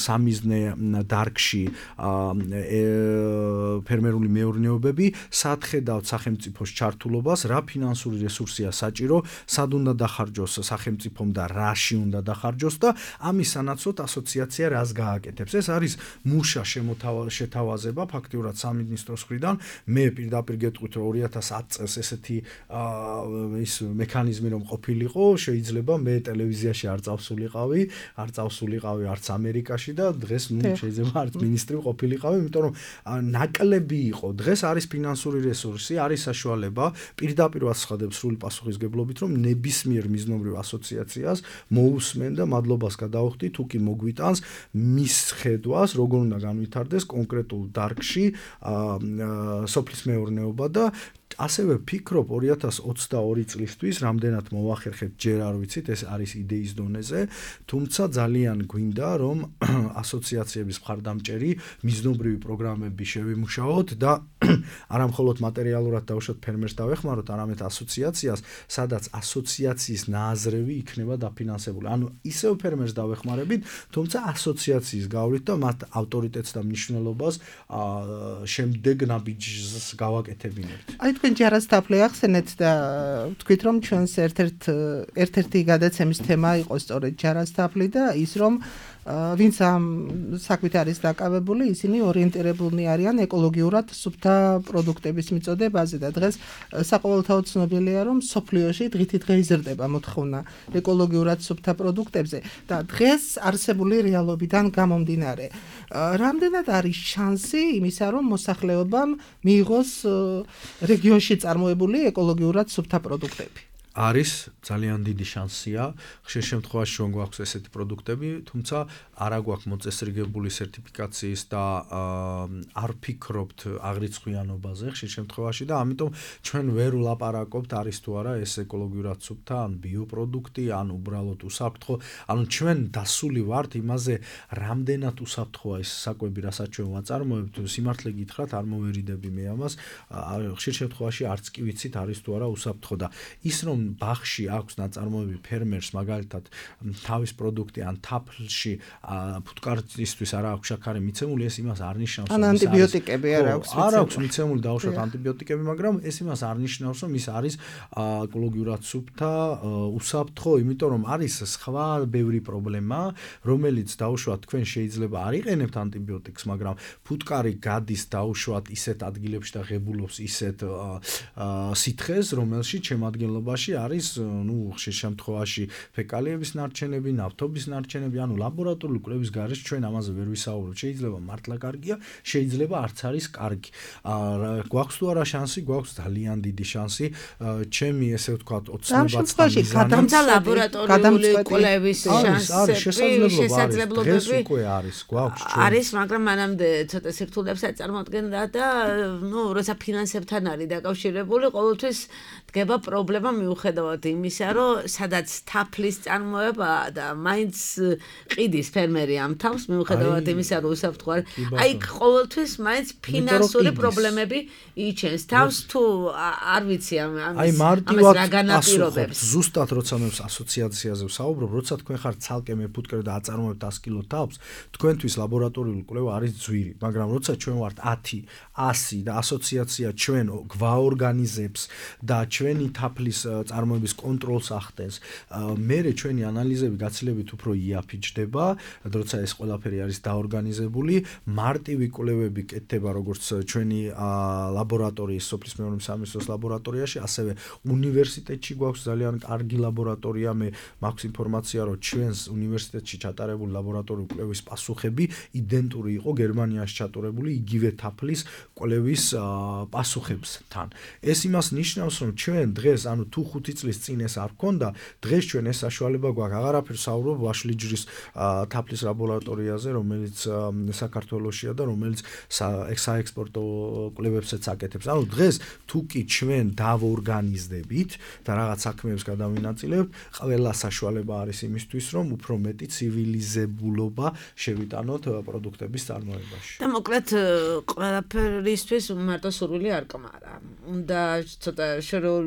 სამიზნე დარგში ფერმერული მეურნეობები, სად ხედავთ სახელმწიფოს ჩართულობას, რა ფინანსური რესურსია საჭირო, სად უნდა დახარჯოს სახელმწიფომ და რაში უნდა დახარჯოს და ამის სანაცვლოდ ასოციაცია რას გააკეთებს. ეს არის მუშა შეთავაზება ფაქტიურად სამინისტროს მხრიდან. მე პირდაპირ გეტყვით, რომ 2010 წელს ესეთი ის მექანიზმი რომ ყოფილიყო, შეიძლება მე ტელევიზიაში არ წავსულიყავი, არც ამერიკაში და დღეს შეიძლება არც მინისტრი ყოფილიყავი, იმიტომ რომ ნაკლები იყო. დღეს არის ფინანსური რესურსი, არის საშუალება, პირდაპირ ვაცხადებ სრული პასუხისგებლობით, რომ ნებისმიერ მიზნობრივ ასოციაციას მოусმენ და მადლობას გადავხდი, თუ კი მოგვიტანს მის ხედვას, როგორ უნდა განვითარდეს კონკრეტულ დარგში სოფლის მეურნეობა და ასევე ფიქრობ 2022 წლისთვის რამდენად მოვახერხებ ჯერ არ ვიცით, ეს არის იდეის დონეზე, თუმცა ძალიან გვინდა რომ ასოციაციების მხარდამჭერი მიზნობრივი პროგრამები შევიმუშაოთ და არა მხოლოდ მატერიალურად დავუშვათ ფერმერს დავეხმაროთ, არამედ ასოციაციას, სადაც ასოციაციის ნააზრევი იქნება დაფინანსებული. ანუ ისევ ფერმერს დავეხმარებით, თუმცა ასოციაციის გავლით და მათ ავტორიტეტს და მნიშვნელობას შემდეგ ნაბიჯს გავაკეთებინებთ. თქვენ ჯარას თაფლი ახსენეთ და თქვით რომ ჩვენს ერთ-ერთი გადაცემის თემა იყო სწორედ ჯარას თაფლი და ის რომ ვინც ამ საქმით არის დაკავებული, ისინი ორიენტირებულნი არიან ეკოლოგიურად სუფთა პროდუქტების მიწოდებაზე და დღეს საყოველთაოდ ცნობილია, რომ სოფლიოში დღითიდღე იზრდება მოთხოვნა ეკოლოგიურად სუფთა პროდუქტებზე და დღეს არსებული რეალობიდან გამომდინარე, რამდენად არის შანსი იმისა, რომ მოსახლეობამ მიიღოს რეგიონში წარმოებული ეკოლოგიურად სუფთა პროდუქტები? არის ძალიან დიდი შანსია. ხშირ შემთხვევაში რომ გვაქვს ესეთი პროდუქტები, თუმცა არა გვაქვს მოწესრიგებული სერტიფიკაციის და არ ვფიქრობთ აღრიცხვიანობაზე ხშირ შემთხვევაში და ამიტომ ჩვენ ვერ ვლაპარაკობთ არის თუ არა ეს ეკოლოგიურად სუფთა ან ბიოპროდუქტი ან უბრალოდ უსაფრთხო. ანუ ჩვენ დასული ვართ იმაზე, რამდენად უსაფრთხოა ეს საკვები, რასაც ჩვენ ვაწარმოებთ. სიმართლე გითხრათ, არ მოვერიდები მე ამას. ხშირ შემთხვევაში არც კი ვიცით არის თუ არა უსაფრთხო და ის რომ ბაღში აქვს ნაწარმოები ფერმერს მაგალითად თავის პროდუქტი ან თაფლში ფუტკარისთვის არა აქვს შაქარი მიცემული, ეს იმას არ ნიშნავს რომ ანტიბიოტიკები არ აქვს არ აქვს მიცემული დაუშვათ ანტიბიოტიკები, მაგრამ ეს იმას არ ნიშნავს რომ ის არის ეკოლოგიურად სუფთა, უსაფრთხო, იმიტომ რომ არის სხვა ბევრი პრობლემა, რომელიც დაუშვათ თქვენ შეიძლება არ იყენებთ ანტიბიოტიკს, მაგრამ ფუტკარი გადის დაუშვათ ისეთ ადგილებში და ღებულობს ისეთ სითხეს, რომელშიც შემადგენლობაში არის, ხშირ შემთხვევაში ფეკალიების ნარჩენები, ნავთობის ნარჩენები, ანუ ლაბორატორიული კვლევის გარეშე ჩვენ ამაზე ვერ ვისაუბრებთ. შეიძლება მართლა კარგია, შეიძლება არც არის კარგი. გვაქვს თუ არა შანსი, გვაქვს ძალიან დიდი შანსი. ჩემი ესე ვთქვათ, ოცნებაც და თუმცა ლაბორატორიული კვლევის შესაძლებლობები უკვე არის, გვაქვს ჩვენ. არის, მაგრამ მანამდე ცოტა სირთულეებს აწარმოადგენდა და როცა ფინანსებთან არის დაკავშირებული, ყოველთვის დგება პრობლემა მიუხედავად იმისა, რომ სადაც თაფლის წარმოება და მაინც ყიდის ფერმერი ამ თავს მიუხედავად იმისა, რომ უსაფრთხო არის. აი ყოველთვის მაინც ფინანსური პრობლემები იჩენს თავს თუ არ ვიცი ამას რა განაპირობებს. ზუსტად როცა მე ასოციაციაზე ვსაუბრობ, როცა თქვენ ხართ ცალკე მეფუტკრე და აწარმოებთ 100 კილო თავს, თქვენთვის ლაბორატორიული კვლევა არის ძვირი, მაგრამ როცა ჩვენ ვართ 10, 100 და ასოციაცია ჩვენ გვაორგანიზებს და ჩვენი თაფლის წარმოების კონტროლს ახდენს, მერე ჩვენი ანალიზები გაცილებით უფრო იაფიჯდება, როცა ეს ყველაფერი არის დაორგანიზებული, მარტივი კვლევები კეთდება როგორც ჩვენი ლაბორატორიის სოფლის მეურნეობის სამინისტროს ლაბორატორიაში, ასევე უნივერსიტეტში გვაქვს ძალიან კარგი ლაბორატორია, მე მაქვს ინფორმაცია, რომ ჩვენს უნივერსიტეტში ჩატარებული ლაბორატორიული კვლევის პასუხები იდენტური იყო გერმანიაში ჩატარებული იგივე თაფლის კვლევის პასუხებთან. ეს იმას ნიშნავს, რომ ჩვენ დღეს, ანუ თუ 5 წლის წინ ეს არ ქონდა, დღეს ჩვენ ეს საშუალება გვაქვს. აღარაფერს საუბრობ ვაშლიჯრის თაფლის ლაბორატორიაზე, რომელიც საქართველოშია და რომელიც საექსპორტო კვლევებსაც აკეთებს. ანუ დღეს თუ კი ჩვენ დავორგანიზდებით და რაღაც საქმეებს გადავინაწილებთ, ყველა საშუალება არის იმისთვის, რომ უფრო მეტი ცივილიზებულობა შევიტანოთ პროდუქტების წარმოებაში. და მოკლედ ყველაფერისთვის მარტო სურვილი არ კმარა. უნდა ცოტა შორეულ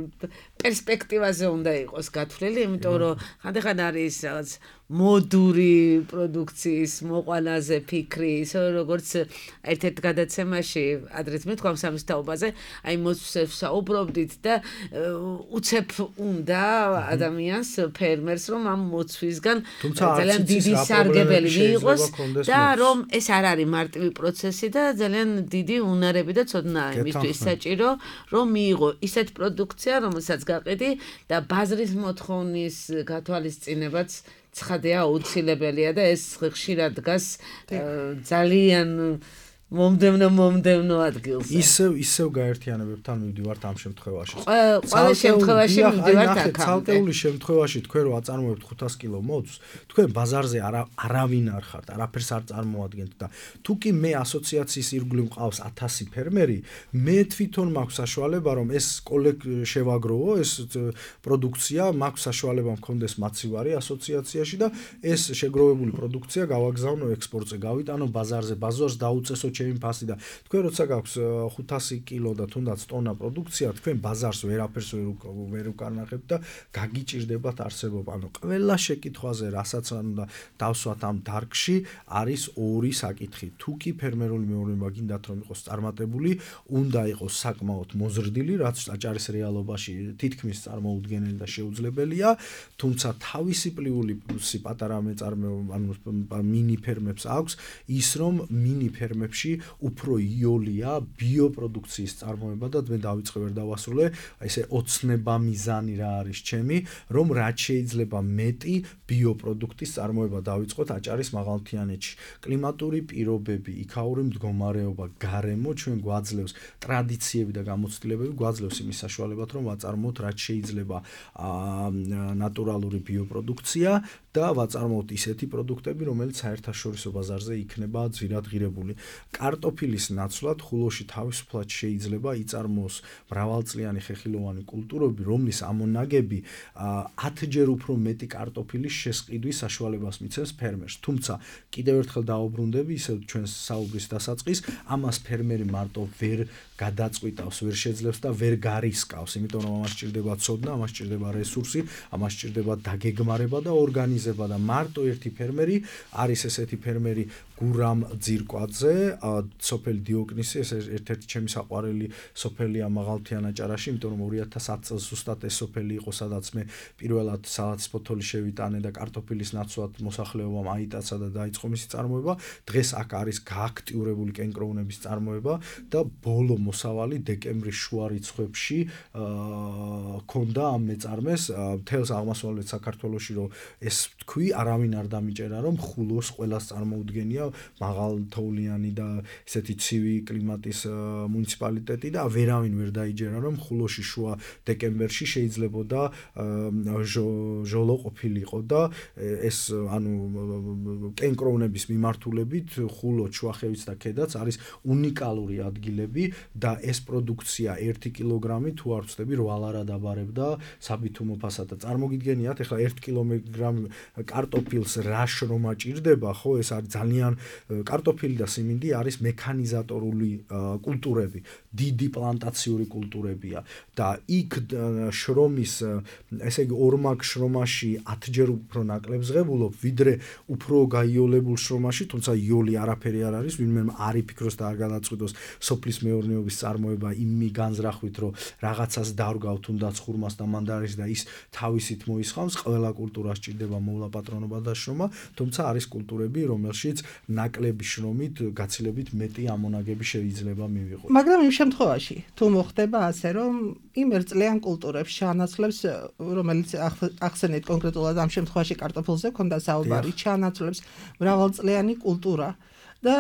პერსპექტივაზე უნდა იყოს გათვლილი, იმიტომ რომ ხანდახან არის რაღაც მოდური პროდუქციის მოყვანაზე ფიქრი, ისე როგორც ერთ-ერთ გადაცემაში ადრეც მეთქვა სამის თაობაზე, აი მოსვლებს საუბრობდით და უცებ უნდა ადამიანს ფერმერს რომ ამ მოცვისგან ძალიან დიდი სარგებელი მიიღოს და რომ ეს არ არის მარტივი პროცესი და ძალიან დიდი უნარები და ცოდნა იმისთვის საჭირო რომ მიიღო ისეთ პროდუქცია, რომელსაც გაყიდი და ბაზრის მოთხოვნის გათვალისწინებაც ცხადია აუცილებელია და ეს ხშირად დგას ძალიან მომდევნო ადგილზე. ისევ გაერთიანებებთან მივდივართ ამ შემთხვევაში. ყველა შემთხვევაში მივდივართ აქ. ცალკეული შემთხვევაში თქვენ რო აწარმოებთ 500 კილო მოძს, თქვენ ბაზარზე არავინ არ ხართ, არაფერს არ წარმოადგენთ და თუ კი მე ასოციაციის ირგვლივ მყავს 1000 ფერმერი, მე თვითონ მაქვს საშუალება რომ ეს შევაგროვო, ეს პროდუქცია, მაქვს საშუალება მქონდეს მაცივარი ასოციაციაში და ეს შეგროვებული პროდუქცია გავაგზავნო ექსპორტზე, გავიტანო ბაზარზე, ბაზარს დაუწესო ჩემი ფასი და თქვენ როცა გაქვს 500 კილო და თუნდაც ტონა პროდუქცია, თქვენ ბაზარს ვერაფერს ვერ უკარნახებთ და გაგიჭირდებათ არსებობა. ანუ ყველა შეკითხვაზე, რასაც უნდა დავსვათ ამ დარგში, არის ორი საკითხი. თუ კი ფერმერული მეურნეობა გინდათ რომ იყოს წარმატებული, უნდა იყოს საკმაოდ მოზრდილი, რაც აჭარის რეალობაში თითქმის წარმოუდგენელი და შეუძლებელია, თუმცა თავისი პლუსი პატარა მეწარმეობა, ანუ მინი ფერმებს აქვს ის, რომ მინი ფერმებში ხულოში უფრო იოლია ბიოპროდუქციის წარმოება და მე დავიწყე ვერ დავასრულე ესე ოცნება მიზანი რა არის ჩემი რომ რაც შეიძლება მეტი ბიოპროდუქტის წარმოება დავიწყოთ აჭარის მაღალმთიანეთში კლიმატური პირობები იქაური მდგომარეობა გარემო ჩვენ გვაძლევს ტრადიციები და გამოცდილებები გვაძლევს იმის საშუალებად რომ ვაწარმოოთ რაც შეიძლება ნატურალური ბიოპროდუქცია და ვაწარმოოთ ისეთი პროდუქტები რომელიც საერთაშორისო ბაზარზე იქნება ძვირადღირებული კარტოფილის ნაცვლად ხულოში თავისუფლად შეიძლება იწარმოოს მრავალწლიანი ხეხილოვანი კულტურები რომლის ამონაგები 10-ჯერ უფრო მეტი კარტოფილის შესყიდვის საშუალებას მიცემს ფერმერს თუმცა კიდევ ერთხელ დაუბრუნდები ისევ ჩვენს საუბრის დასაწყის ამას ფერმერი მარტო ვერ გადაწყვიტავს ვერ შეძლებს და ვერ გარისკავს იმიტომ რომ ამას სჭირდება ცოდნა ამას სჭირდება რესურსი ამას სჭირდება დაგეგმარება და ორგანიზება და მარტო ერთი ფერმერი არის ესეთი ფერმერი გურამ ძირკვაძე სოფელი დიოკნისი ეს ერთ-ერთი ჩემი საყვარელი სოფელია მაღალმთიან აჭარაში იმიტომ რომ 2010 წელს ზუსტად ეს სოფელი იყო სადაც მე პირველად სალათის ფოთოლი შევიტანე და კარტოფილის ნაცვლად მოსახლეობამ აიტაცა და დაიწყო მისი წარმოება დღეს აქ არის გააქტიურებული კენკროვნების წარმოება და ბოლო მოსავალი დეკემბრის შუა რიცხვებში ქონდა ამ მეწარმეს მთელს აღმოსავლეთ საქართველოში რომ ეს თქვი არავინ არ დამიჭერა რომ ხულოს ყველას წარმოუდგენია მაღალთოვლიანი და ესეთი ცივი კლიმატის მუნიციპალიტეტი და ვერავინ ვერ დაიჯერა რომ ხულოში შუა დეკემბერში შეიძლებოდა ჟოლო ყოფილიყო და ეს ანუ კენკროვნების მიმართულებით ხულო შუახევიც და ქედაც არის უნიკალური ადგილები და ეს პროდუქცია 1 კილოგრამი თუ არ ვცდები 8 ლარა დაბარებდა საბითუმო ფასად და წარმოგიდგენიათ ეხლა 1 კილოგრამ კარტოფილს რა შრომა ჭირდება ხო ეს არის ძალიან კარტოფილი და სიმინდი არის მექანიზატორული კულტურები დიდი პლანტაციური კულტურებია და იქ შრომის ესე იგი ორმაგ შრომაში 10-ჯერ უფრო ნაკლებს ღებულობ ვიდრე უფრო გაიოლებულ შრომაში თუმცა იოლი არაფერი არ არის ვინმე არ იფიქროს და არ გადაწყვიტოს სოფლის მეურნეობის წარმოება იმი განზრახვით რომ რაღაცას დარგავ თუნდაც ხურმას და მანდარის და ის თავისით მოისხამს ყველა კულტურას ჭირდება მოვლა პატრონობა და შრომა თუმცა არის კულტურები რომელშიც ნაკლები შრომით გაცილებით მეტი ამონაგები შეიძლება მივიღოთ მაგრამ იმ შემთხვევაში თუ მოხდება ასე რომ იმ ერთწლიან კულტურებს ჩაანაცვლებს რომელიც ახსენეთ კონკრეტულად ამ შემთხვევაში კარტოფილზე ქონდა საუბარი ჩაანაცვლებს მრავალწლიანი კულტურა და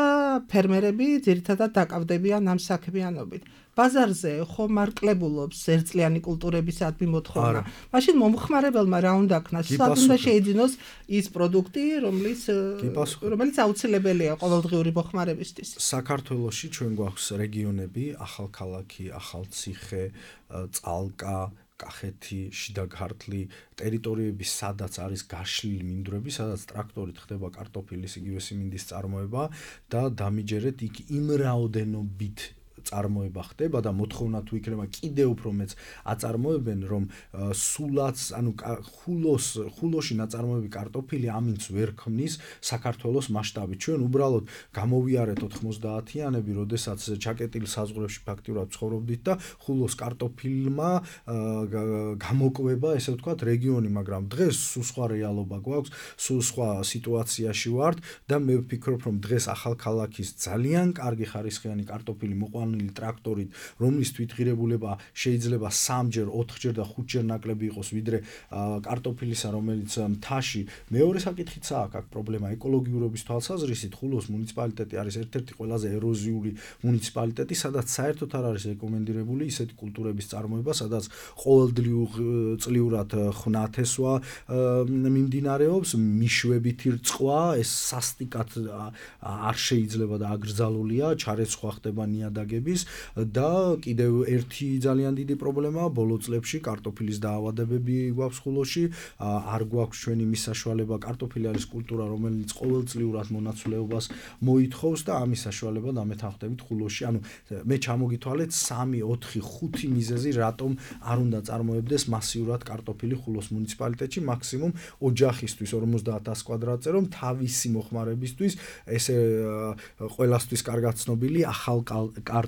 ფერმერები ძირითადად დაკავდებიან ამ საქმიანობით ბაზარზე ხო მარკლებულობს ერთწლიანი კულტურებისადმი მოთხოვნა მაშინ მომხმარებელმა რა უნდა ქნას სად უნდა შეიძინოს ის პროდუქტი რომელიც აუცილებელია ყოველდღიური მოხმარებისთვის საქართველოში ჩვენ გვაქვს რეგიონები ახალქალაქი ახალციხე წალკა კახეთი, შიდა ქართლი, ტერიტორიები, სადაც არის გაშლილი მინდვრები, სადაც ტრაქტორით ხდება კარტოფილის იგივე სიმინდის წარმოება და დამიჯერეთ იქ იმ რაოდენობით წარმოება ხდება და მოთხოვნა თუ იქნება კიდევ უფრო მეც აწარმოებენ რომ სულაც ანუ ხულოში ნაწარმოები კარტოფილი ამინც ვერ ქმნის საქართველოს მასშტაბით ჩვენ უბრალოდ გამოვიარეთ 90-იანები როდესაც ჩაკეტილ საზღვრებში ფაქტიურად ცხოვრობდით და ხულოს კარტოფილმა გამოკვება ესე ვთქვათ რეგიონი მაგრამ დღეს სულ სხვა რეალობა გვაქვს სულ სხვა სიტუაციაში ვართ და მე ვფიქრობ რომ დღეს ახალქალაქის ძალიან კარგი ხარისხიანი კარტოფილი მოყვანილი ტრაქტორით რომლის თვითღირებულება შეიძლება 3-ჯერ 4-ჯერ და 5-ჯერ ნაკლები იყოს ვიდრე კარტოფილისა რომელიც მთაში მეორე საკითხიცაა აქ პრობლემა ეკოლოგიურობის თვალსაზრისით ხულოს მუნიციპალიტეტი არის ერთ-ერთი ყველაზე ეროზიული მუნიციპალიტეტი სადაც საერთოდ არ არის რეკომენდირებული ისეთი კულტურების წარმოება სადაც ყოველწლიურად ხნათესვა მიმდინარეობს მიშვებითი რწყვა ეს სასტიკად არ შეიძლება და აკრძალულია ჩარეცხვა ხდება ნიადაგები და კიდევ ერთი ძალიან დიდი პრობლემაა ბოლო წლებში კარტოფილის დაავადებები გვაქვს ხულოში არ გვაქვს ჩვენი მის საშუალება კარტოფილი არის კულტურა რომელიც ყოველწლიურად მონაცვლეობას მოითხოვს და ამის საშუალება დამეთანხმდებით ხულოში ანუ მე ჩამოგითვალეთ 3 4 5 მიზეზი რატომ არ უნდა წარმოებდეს მასიურად კარტოფილი ხულოს მუნიციპალიტეტში მაქსიმუმ ოჯახისთვის 50000 კვადრატზე რომ თავისი მოხმარებისთვის ესე ყველასთვის კარგად ცნობილი ახალ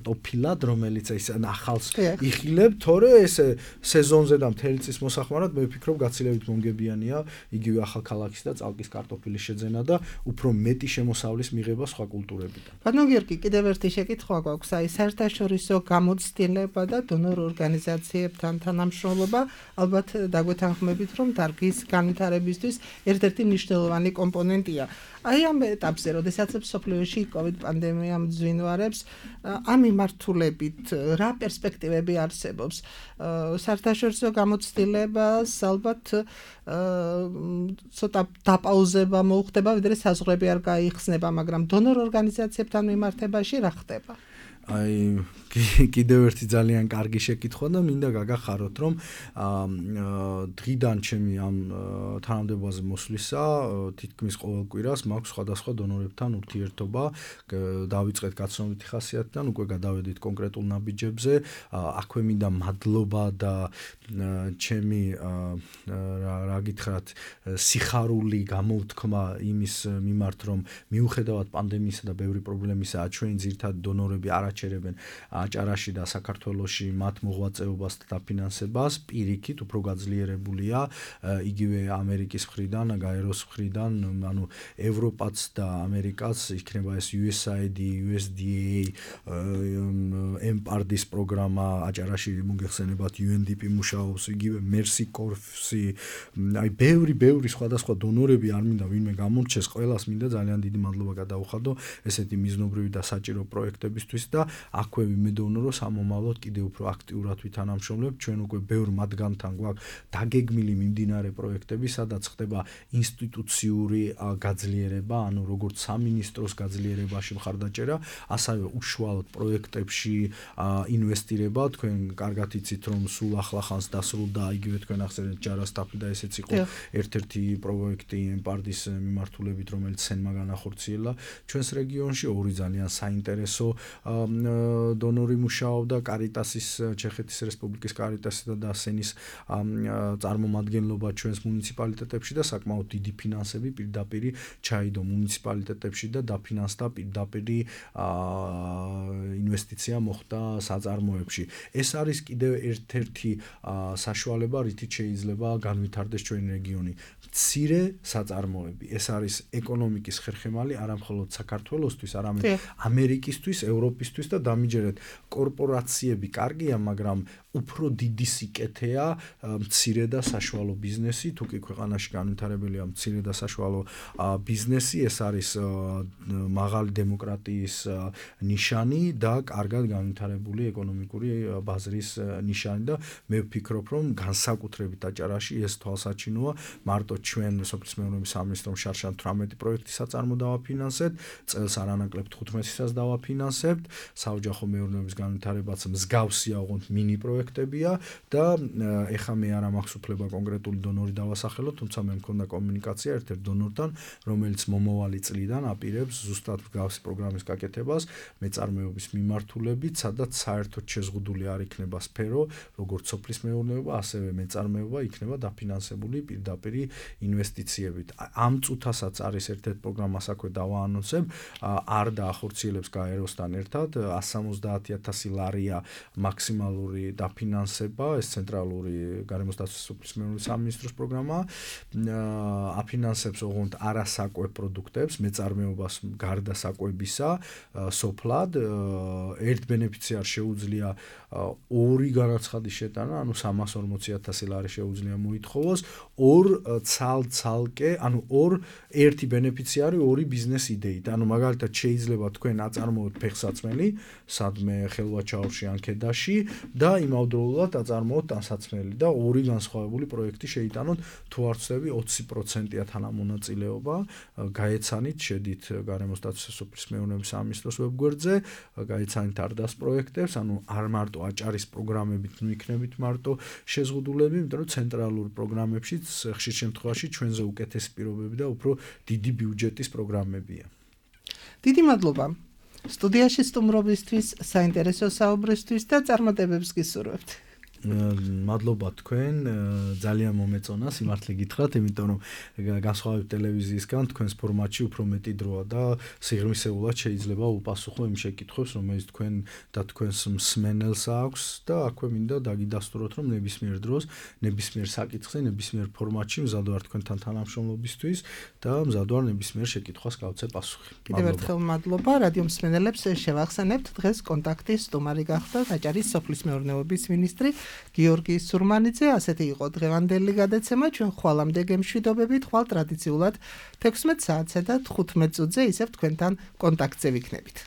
კარტოფილად, რომელიც ის ახალს იხილებ, თორე ეს სეზონზე და მთელი წლის მოსახმარად მე ვფიქრობ გაცილებით მომგებიანია იგივე ახალქალაქის და წალკის კარტოფილის შეძენა და უფრო მეტი შემოსავლის მიღება სხვა კულტურებიდან. ბატონო გიორგი, კიდევ ერთი შეკითხვა გვაქვს, აი საერთაშორისო გამოცდილება და დონორ ორგანიზაციებთან თანამშრომლობა, ალბათ დაგვეთანხმებით, რომ დარგის განვითარებისთვის ერთ-ერთი მნიშვნელოვანი კომპონენტია. აი ამ ეტაპზე, როდესაც მსოფლიოში COVID პანდემია მძვინვარებს, ამ მიმართულებით რა პერსპექტივები არსებობს? საერთაშორისო გამოცდილებას ალბათ ცოტა დაპაუზება მოუხდება, ვიდრე საზღვრები არ გაიხსნება, მაგრამ დონორ ორგანიზაციებთან მიმართებაში რა ხდება? აი კიდევ ერთი ძალიან კარგი შეკითხვა და მინდა გაგახაროთ, რომ დღიდან ჩემი ამ თანამდებობაზე მოსვლისა თითქმის ყოველ კვირას მაქვს სხვადასხვა დონორებთან ურთიერთობა, დავიწყეთ გაცნობითი ხასიათიდან, უკვე გადავედით კონკრეტულ ნაბიჯებზე, აქვე მინდა მადლობა და ჩემი რა გითხრათ, სიხარული გამოუთქმა იმის მიმართ, რომ მიუხედავად პანდემიისა და ბევრი პრობლემისა, ჩვენი ძირითადი დონორები არაჩერებენ აჭარაში და საქართველოში მათ მოღვაწეობას და დაფინანსებას, პირიქით უფრო გაძლიერებულია, იგივე ამერიკის მხრიდან, გაეროს მხრიდან, ანუ ევროპაც და ამერიკაც, იქნება ეს USAID, USDA, EMPARD-ის პროგრამა აჭარაში მოგეხსენებათ UNDP მუშაობს, იგივე Mercy Corps-ი, აი ბევრი სხვადასხვა დონორები არ მინდა ვინმე გამორჩეს, ყველას მინდა ძალიან დიდი მადლობა გადაუხადო ესეთი მიზნობრივი და საჭირო პროექტებისთვის და აქვე ვიმედოვნო, რომ სამომავლოდ კიდევ უფრო აქტიურად ვითანამშრომლებ, ჩვენ უკვე ბევრ მათგანთან გვაქვს დაგეგმილი მიმდინარე პროექტები, სადაც ხდება ინსტიტუციური გაძლიერება, ანუ როგორც სამინისტროს გაძლიერებაში მხარდაჭერა, ასევე უშუალოდ პროექტებში ინვესტირება, თქვენ კარგად იცით, რომ სულ ახლახანს დასრულდა იგივე თქვენ ახსენეთ ჯარასტაფი და ესეც იყო ერთ-ერთი პროექტი EMPARD-ის მიმართულებით, რომელიც სენმა განახორციელა ჩვენს რეგიონში, ორი ძალიან საინტერესო დონორი მუშაობდა კარიტასის, ჩეხეთის რესპუბლიკის კარიტასის და სენის წარმომადგენლობა ჩვენს მუნიციპალიტეტებში და საკმაოდ დიდი ფინანსები პირდაპირ ჩაიდო მუნიციპალიტეტებში და დაფინანსდა პირდაპირ ინვესტიცია მოხდა საწარმოებში. ეს არის კიდევ ერთ-ერთი საშუალება, რითიც შეიძლება განვითარდეს ჩვენი რეგიონი. მცირე საწარმოები. ეს არის ეკონომიკის ხერხემალი არა მხოლოდ საქართველოსთვის, არამედ ამერიკისთვის, ევროპისთვის და დამიჯერეთ კორპორაციები კარგია, მაგრამ უფრო დიდი სიკეთეა მცირე და საშუალო ბიზნესი, თუ კი ქვეყანაში განვითარებელია მცირე და საშუალო ბიზნესი, ეს არის მაღალი დემოკრატიის ნიშანი და კარგად განვითარებული ეკონომიკური ბაზრის ნიშანი და მე ვფიქრობ, რომ განსაკუთრებით აჭარაში ეს თვალსაჩინოა, მარტო ჩვენ სოფლის მეურნეობის სამინისტრომ შარშან 18 პროექტის საწარმო დავაფინანსეთ, წელს არანაკლებ 15-საც დავაფინანსებთ, საოჯახო მეურნეობის განვითარებაც მსგავსია, ოღონდ მინი პროექტებია და ეხა მე არ მაქვს უფლება კონკრეტული დონორი დავასახელო, თუმცა მე მქონდა კომუნიკაცია ერთ-ერთ დონორთან, რომელიც მომავალი წლიდან აპირებს ზუსტად მსგავსი პროგრამის გაკეთებას მეწარმეობის მიმართულებით, სადაც საერთოდ შეზღუდული არ იქნება სფერო, როგორც სოფლის მეურნეობა, ასევე მეწარმეობა იქნება დაფინანსებული პირდაპირ ინვესტიციებით. ამ წუთასაც არის ერთ-ერთ პროგრამას აქვე დავაანონსებ, არ დაახორციელებს გაეროსთან ერთად 170,000 ლარია მაქსიმალური დაფინანსება, ეს ცენტრალური გარემოს დაცვის სოფლის მეურნეობის სამინისტროს პროგრამა, აფინანსებს ოღონდ არასაკვებ პროდუქტებს, მეწარმეობას გარდა საკვებისა, სოფლად, ერთ ბენეფიციარს შეუძლია ორი განაცხადის შეტანა, ანუ 340,000 ლარი შეუძლია მოითხოვოს, ორ ცალკე, ანუ ერთი ბენეფიციარი ორი ბიზნეს იდეით. ანუ მაგალითად შეიძლება თქვენ აწარმოოთ ფეხსაცმელი, სადმე ხელვაჩაურში ან ქედაში და იმავდროულად აწარმოოთ ტანსაცმელი და ორი განსხვავებული პროექტი შეიტანოთ, თუ არ ვცდები 20%-ია თანამონაწილეობა, გაეცანით, შედით გარემოს დაცვის სოფლის მეურნეობის სამინისტროს ვებგვერდზე, გაეცანით არდას პროექტებს, ანუ არ მარტო აჭარის პროგრამებით მიიქნებით მარტო შეზღუდულები, იმიტომ რომ ცენტრალურ პროგრამებშიც ხშირ შემთხვევაში ჩვენზე უკეთესი პირობები და უფრო დიდი ბიუჯეტის პროგრამებია. დიდი მადლობა. სტუდიაში სტუმრობისთვის, საინტერესო საუბრისთვის და წარმატებებს გისურვებთ. მადლობა თქვენ, ძალიან მომეწონა სიმართლე გითხრათ, იმიტომ რომ განსხვავებით ტელევიზიისგან თქვენს ფორმატში უფრო მეტი დროა და სიღრმისეულად შეიძლება უპასუხო იმ შეკითხვებს, რომელიც თქვენ და თქვენს მსმენელს აქვს და აქვე მინდა დაგიდასტუროთ, რომ ნებისმიერ დროს, ნებისმიერ საკითხზე, ნებისმიერ ფორმატში მზად ვარ თქვენთან თანამშრომლობისთვის და მზად ვარ ნებისმიერ შეკითხვას გავცე პასუხი. კიდევ ერთხელ მადლობა რადიო მსმენელებს შევახსენებთ დღეს კონტაქტის სტუმარი გახდა აჭარის სოფლის მეურნეობის მინისტრი გიორგი სურმანიძე. ასეთი იყო დღევანდელი გადაცემა. ჩვენ ხვალამდე გემშვიდობებით, ხვალ ტრადიციულად 16 საათსა და 15 წუთზე ისევ თქვენთან კონტაქტზე ვიქნებით.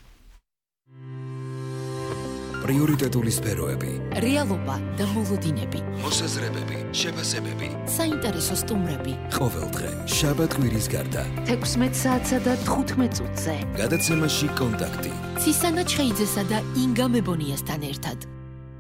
პრიორიტეტული სფეროები, რეალობა და მოლოდინები, მოსაზრებები, შეფასებები, საინტერესო სტუმრები. ყოველდღე შაბათ-კვირის გარდა 16 საათსა და 15 წუთზე. გადაცემაში კონტაქტი. ცისანა ჩხეიძესა და ინგა მებონიასთან ერთად.